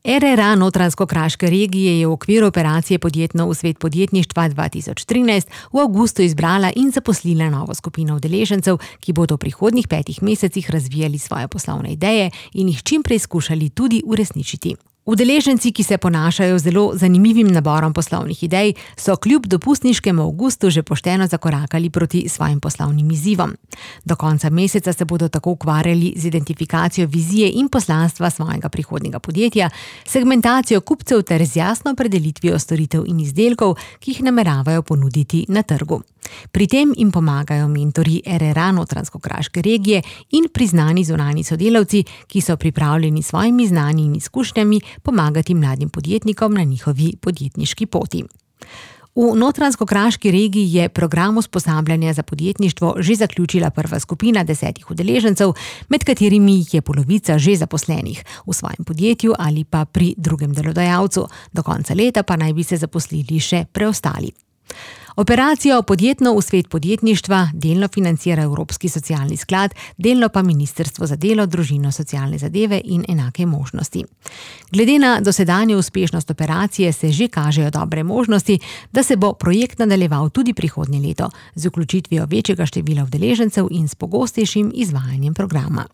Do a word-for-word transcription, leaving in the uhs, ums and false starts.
R R A Notranjsko-Kraške regije je v okviru operacije Podjetno v svet podjetništva dva tisoč trinajst v avgustu izbrala in zaposlila novo skupino udeležencev, ki bodo v prihodnjih petih mesecih razvijali svoje poslovne ideje in jih čim prej skušali tudi uresničiti. Udeleženci, ki se ponašajo z zelo zanimivim naborom poslovnih idej, so kljub dopustniškemu avgustu že pošteno zakorakali proti svojim poslovnim izzivom. Do konca meseca se bodo tako ukvarjali z identifikacijo vizije in poslanstva svojega prihodnjega podjetja, segmentacijo kupcev ter z jasno opredelitvijo storitev in izdelkov, ki jih nameravajo ponuditi na trgu. Pri tem jim pomagajo mentorji R R A Notranjsko-Kraške regije in priznani zunanji sodelavci, ki so pripravljeni s svojimi znanji in izkušnjami pomagati mladim podjetnikom na njihovi podjetniški poti. V Notranjsko-Kraški regiji je program usposabljanja za podjetništvo že zaključila prva skupina desetih udeležencev, med katerimi jih je polovica že zaposlenih v svojem podjetju ali pa pri drugem delodajalcu. Do konca leta pa naj bi se zaposlili še preostali. Operacijo Podjetno v svet podjetništva delno financira Evropski socialni sklad, delno pa Ministrstvo za delo, družino, socialne zadeve in enake možnosti. Glede na dosedanjo uspešnost operacije se že kažejo dobre možnosti, da se bo projekt nadaljeval tudi prihodnje leto z vključitvijo večjega števila udeležencev in s pogostejšim izvajanjem programa.